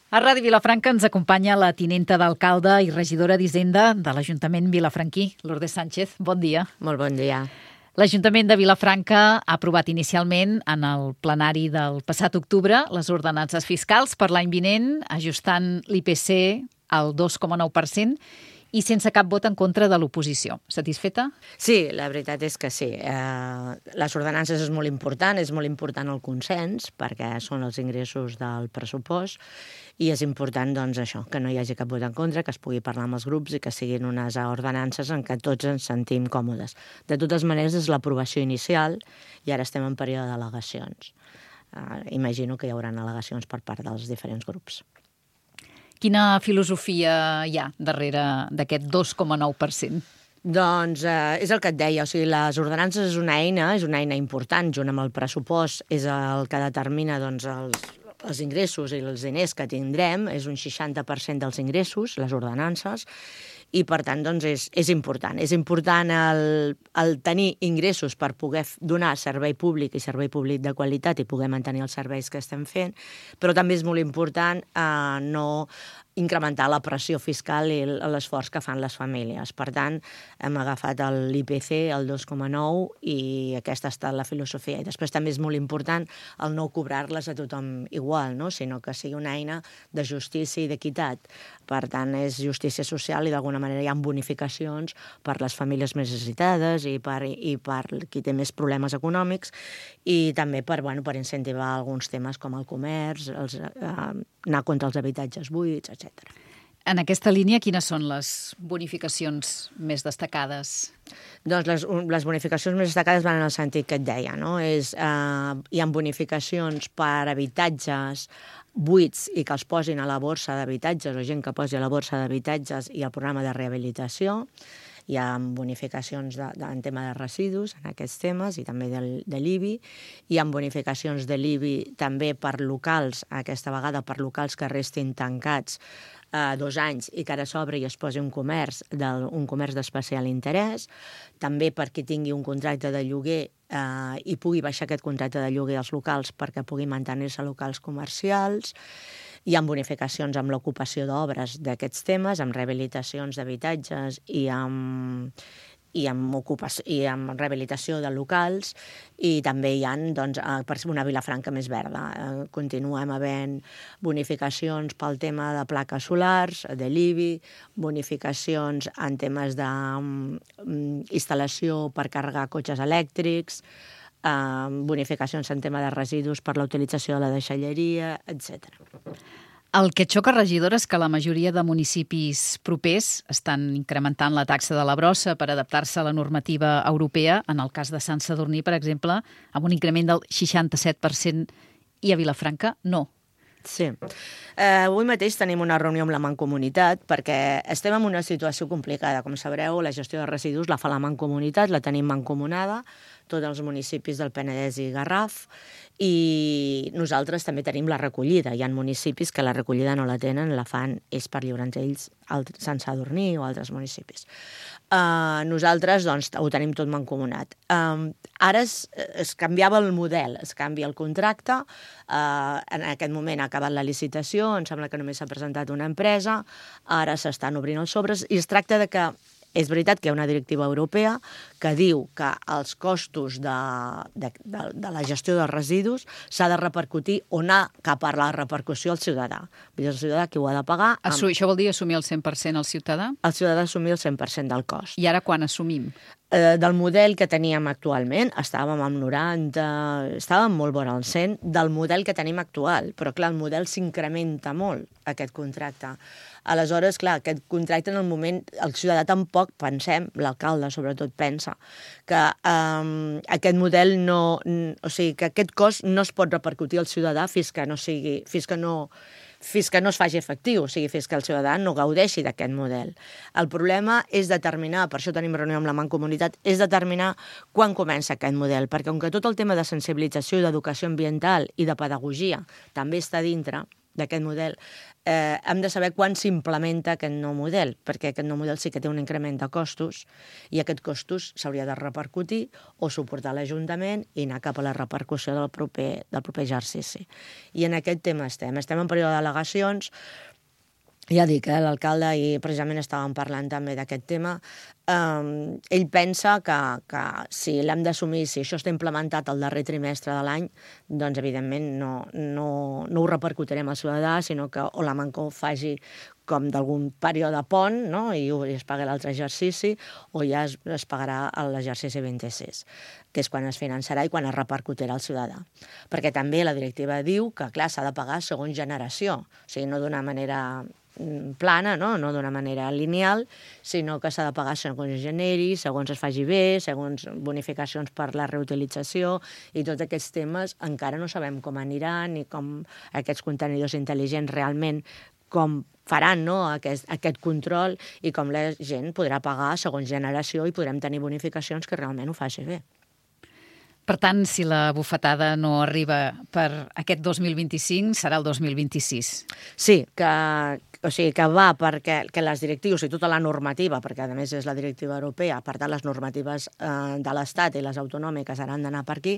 A Ràdio Vilafranca ens acompanya la tinenta d'alcalde i regidora d'Hisenda de l'Ajuntament vilafranquí, Lourdes Sánchez. Bon dia. Molt bon dia. L'Ajuntament de Vilafranca ha aprovat inicialment en el plenari del passat octubre les ordenances fiscals per l'any vinent, ajustant l'IPC al 2,9% i sense cap vot en contra de l'oposició. Satisfeta? Sí, la veritat és que sí. Les ordenances és molt important el consens, perquè són els ingressos del pressupost, i és important, doncs, això, que no hi hagi cap vot en contra, que es pugui parlar amb els grups i que siguin unes ordenances en què tots ens sentim còmodes. De totes maneres, és l'aprovació inicial i ara estem en període d'al·legacions. Imagino que hi haurà al·legacions per part dels diferents grups. Quina filosofia hi ha darrere d'aquest 2,9%? Doncs és el que et deia, o sigui, les ordenances és una eina important, junt amb el pressupost, és el que determina doncs, els ingressos i els diners que tindrem, és un 60% dels ingressos, les ordenances, i per tant doncs, és important. És important el tenir ingressos per poder donar servei públic i servei públic de qualitat i poder mantenir els serveis que estem fent, però també és molt important no incrementar la pressió fiscal i l'esforç que fan les famílies. Per tant, hem agafat l'IPC, el 2,9, i aquesta ha estat la filosofia. I després també és molt important el no cobrar-les a tothom igual, no? Sinó que sigui una eina de justícia i d'equitat. Per tant, és justícia social i d'alguna manera hi ha bonificacions per les famílies més necessitades i per qui té més problemes econòmics, i també per incentivar alguns temes com el comerç, anar contra els habitatges buits, etc. En aquesta línia, quines són les bonificacions més destacades? Doncs les bonificacions més destacades van en el sentit que et deia, no? Hi ha bonificacions per habitatges buits i que els posin a la borsa d'habitatges, o gent que posi a la borsa d'habitatges i al programa de rehabilitació. Hi ha bonificacions en tema de residus, en aquests temes, i també de l'IBI. Hi ha bonificacions de l'IBI també per locals, aquesta vegada per locals que restin tancats 2 anys i que ara s'obre i es posi un comerç d'especial interès. També per qui tingui un contracte de lloguer i pugui baixar aquest contracte de lloguer als locals perquè pugui mantenir-se locals comercials. Hi ha bonificacions amb l'ocupació d'obres d'aquests temes, amb rehabilitacions d'habitatges i amb rehabilitació de locals, i també hi ha per una Vilafranca més verda. Continuem havent bonificacions pel tema de plaques solars, de l'IBI, bonificacions en temes d'instal·lació per carregar cotxes elèctrics, bonificacions en tema de residus per la utilització de la deixalleria, etc. El que xoca, regidora, és que la majoria de municipis propers estan incrementant la taxa de la brossa per adaptar-se a la normativa europea, en el cas de Sant Sadurní, per exemple, amb un increment del 67%, i a Vilafranca no. Sí. Avui mateix tenim una reunió amb la Mancomunitat perquè estem en una situació complicada. Com sabreu, la gestió de residus la fa la Mancomunitat, la tenim mancomunada, tots els municipis del Penedès i Garraf, i nosaltres també tenim la recollida. Hi ha municipis que la recollida no la tenen, la fan és per lliure'ns ells, Sant Sadurní o altres municipis. Nosaltres doncs, ho tenim tot mancomunat. Ara es canviava el model, es canvia el contracte, en aquest moment ha acabat la licitació, em sembla que només s'ha presentat una empresa, ara s'estan obrint els sobres, i es tracta de que és veritat que hi ha una directiva europea que diu que els costos de la gestió dels residus s'ha de repercutir o anar cap a la repercussió al ciutadà. Vull dir, el ciutadà qui ho ha de pagar... Això vol dir assumir el 100% al ciutadà? El ciutadà ha d'assumir el 100% del cost. I ara quan assumim? Del model que teníem actualment, estàvem amb 90, estàvem molt vora el 100 del model que tenim actual, però clar, el model s'incrementa molt, aquest contracte. Aleshores, clar, aquest contracte en el moment, el ciutadà tampoc pensem, l'alcalde sobretot pensa, que aquest model o sigui, que aquest cost no es pot repercutir al ciutadà fins que no es faci efectiu, o sigui, fins que el ciutadà no gaudeixi d'aquest model. El problema és determinar, per això tenim reunió amb la Mancomunitat, és determinar quan comença aquest model, perquè com que tot el tema de sensibilització i d'educació ambiental i de pedagogia també està dintre, d'aquest model, hem de saber quan s'implementa aquest nou model, perquè aquest nou model sí que té un increment de costos i aquest costos s'hauria de repercutir o suportar l'Ajuntament i anar cap a la repercussió del proper exercici. I en aquest tema estem en període d'al·legacions. Ja dic, l'alcalde, i precisament estàvem parlant també d'aquest tema, ell pensa que si l'hem d'assumir, si això està implementat al darrer trimestre de l'any, doncs evidentment no ho repercutirem al ciutadà, sinó que o la Manco faci com d'algun període pont, no? I es pagui l'altre exercici, o ja es pagarà l'exercici 26, que és quan es finançarà i quan es repercutirà al ciutadà. Perquè també la directiva diu que, clar, s'ha de pagar segons generació, o sigui, no d'una manera plana, no d'una manera lineal, sinó que s'ha de pagar segons es generi, segons es faci bé, segons bonificacions per la reutilització, i tots aquests temes encara no sabem com aniran ni com aquests contenidors intel·ligents realment com faran aquest control i com la gent podrà pagar segons generació i podrem tenir bonificacions que realment ho faci bé. Per tant, si la bufetada no arriba per aquest 2025, serà el 2026. Sí, que va perquè les directius i tota la normativa, perquè a més és la directiva europea, per tant les normatives de l'Estat i les autonòmiques han d'anar per aquí,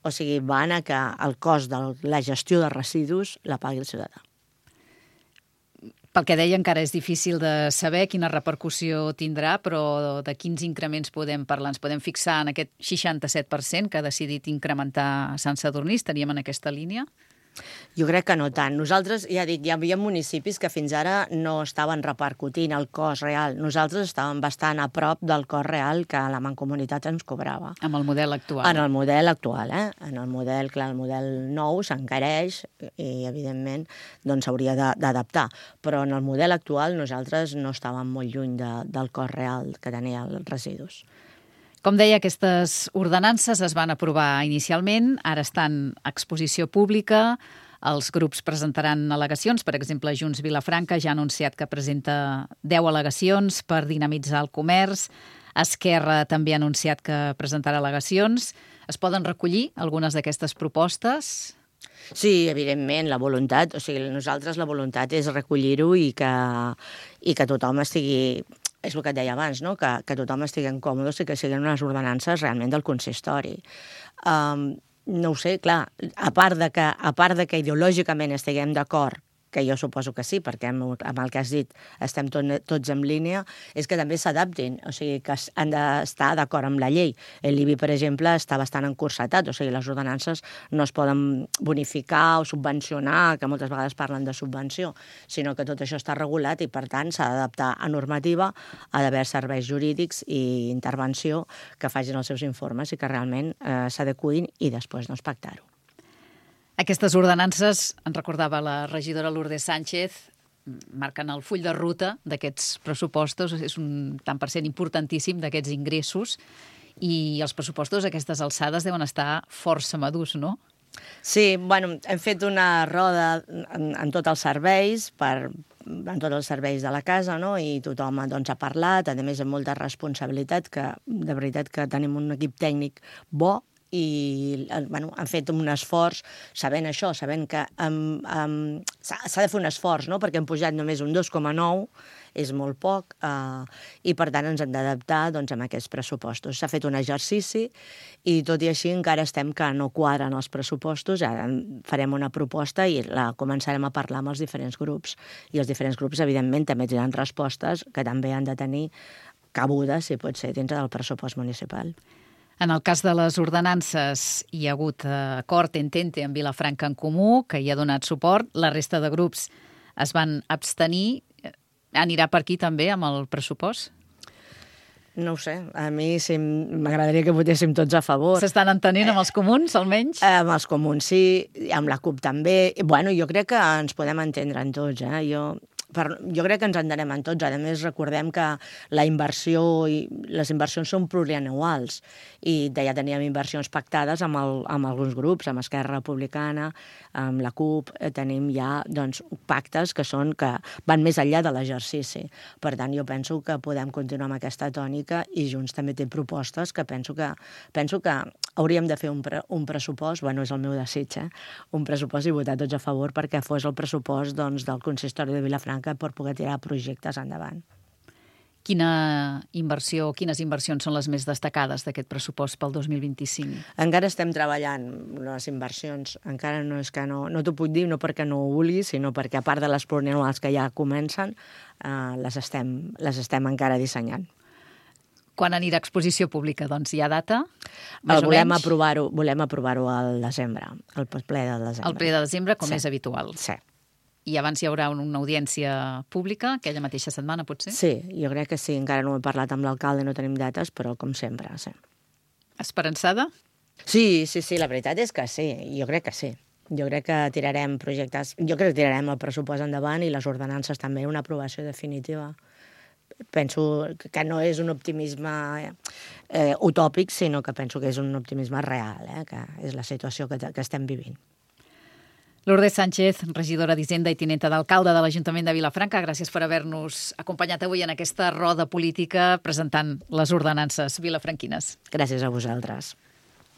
o sigui, van a que el cost de la gestió de residus la pagui el ciutadà. Pel que deia, encara és difícil de saber quina repercussió tindrà, però de quins increments podem parlar? Ens podem fixar en aquest 67% que ha decidit incrementar Sant Sadurní? Estaríem en aquesta línia? Jo crec que no tant. Nosaltres, ja dic, hi havia municipis que fins ara no estaven repercutint el cost real. Nosaltres estàvem bastant a prop del cost real que la Mancomunitat ens cobrava. Amb el model actual. En el model actual, En el model, clar, el model nou s'encareix i, evidentment, doncs s'hauria d'adaptar. Però en el model actual nosaltres no estàvem molt lluny del cost real que tenia els residus. Com deia, aquestes ordenances es van aprovar inicialment, ara estan a exposició pública, els grups presentaran al·legacions, per exemple, Junts Vilafranca ja ha anunciat que presenta 10 al·legacions per dinamitzar el comerç, Esquerra també ha anunciat que presentarà al·legacions. Es poden recollir algunes d'aquestes propostes? Sí, evidentment, la voluntat, o sigui, nosaltres la voluntat és recollir-ho i que tothom estigui... És el que et deia abans, no? Que tothom estigui còmode i que siguin unes ordenances realment del consistori. No ho sé, clar, a part de que ideològicament estiguem d'acord, que jo suposo que sí, perquè amb el que has dit estem tots en línia, és que també s'adaptin, o sigui, que han d'estar d'acord amb la llei. L'IBI, per exemple, està bastant encursetat, o sigui, les ordenances no es poden bonificar o subvencionar, que moltes vegades parlen de subvenció, sinó que tot això està regulat i, per tant, s'ha d'adaptar a normativa, ha d'haver serveis jurídics i intervenció que facin els seus informes i que realment s'adecuïn i després doncs pactar-ho. Aquestes ordenances, en recordava la regidora Lourdes Sánchez, marquen el full de ruta d'aquests pressupostos, és un tant per cent importantíssim d'aquests ingressos, i els pressupostos a aquestes alçades deuen estar força madurs, no? Sí, bueno, hem fet una roda en tots els serveis, en tots els serveis de la casa, no? I tothom doncs, ha parlat, a més amb molta responsabilitat, que de veritat que tenim un equip tècnic bo, i bueno, han fet un esforç sabent això, sabent que s'ha de fer un esforç, no? Perquè hem pujat només un 2,9, és molt poc, i per tant ens hem d'adaptar doncs, amb aquests pressupostos. S'ha fet un exercici i tot i així encara estem que no quadren els pressupostos, ara farem una proposta i la començarem a parlar amb els diferents grups, i els diferents grups evidentment també tenen respostes que també han de tenir cabuda, si pot ser, dintre del pressupost municipal. En el cas de les ordenances hi ha hagut acord entente amb Vilafranca en Comú, que hi ha donat suport. La resta de grups es van abstenir. Anirà per aquí també amb el pressupost? No ho sé, a mi sí, m'agradaria que votéssim tots a favor. S'estan entenent amb els comuns, almenys? Amb els comuns sí, amb la CUP també. Bueno, jo crec que ens podem entendre en tots, jo crec que ens entenem en tots. A més, recordem que la inversió i les inversions són plurianuals i ja teníem inversions pactades amb alguns grups, amb Esquerra Republicana, amb la CUP, tenim ja doncs, pactes que van més enllà de l'exercici. Per tant, jo penso que podem continuar amb aquesta tònica i Junts també té propostes que penso que hauríem de fer un pressupost, bueno, és el meu desig, un pressupost i votar tots a favor perquè fos el pressupost doncs, del consistori de Vilafranca per poder tirar projectes endavant. Quines inversions són les més destacades d'aquest pressupost pel 2025? Encara estem treballant les inversions. Encara no és que no t'ho puc dir, no perquè no ho vulgui, sinó perquè a part de les plurianuals que ja comencen, les estem encara dissenyant. Quan anirà a exposició pública? Doncs hi ha data? Volem aprovar-ho al desembre, al ple de desembre. Al ple de desembre, com és habitual. Sí. I abans hi haurà una audiència pública, aquella mateixa setmana, potser? Sí, jo crec que sí. Encara no he parlat amb l'alcalde, no tenim dates, però com sempre, sí. Esperançada? Sí, la veritat és que sí. Jo crec que sí. Jo crec que tirarem projectes... Jo crec que tirarem el pressupost endavant i les ordenances també, una aprovació definitiva. Penso que no és un optimisme utòpic, sinó que penso que és un optimisme real, que és la situació que estem vivint. Lourdes Sánchez, regidora d'Hisenda i tinenta d'alcalde de l'Ajuntament de Vilafranca, gràcies per haver-nos acompanyat avui en aquesta roda política presentant les ordenances vilafranquines. Gràcies a vosaltres.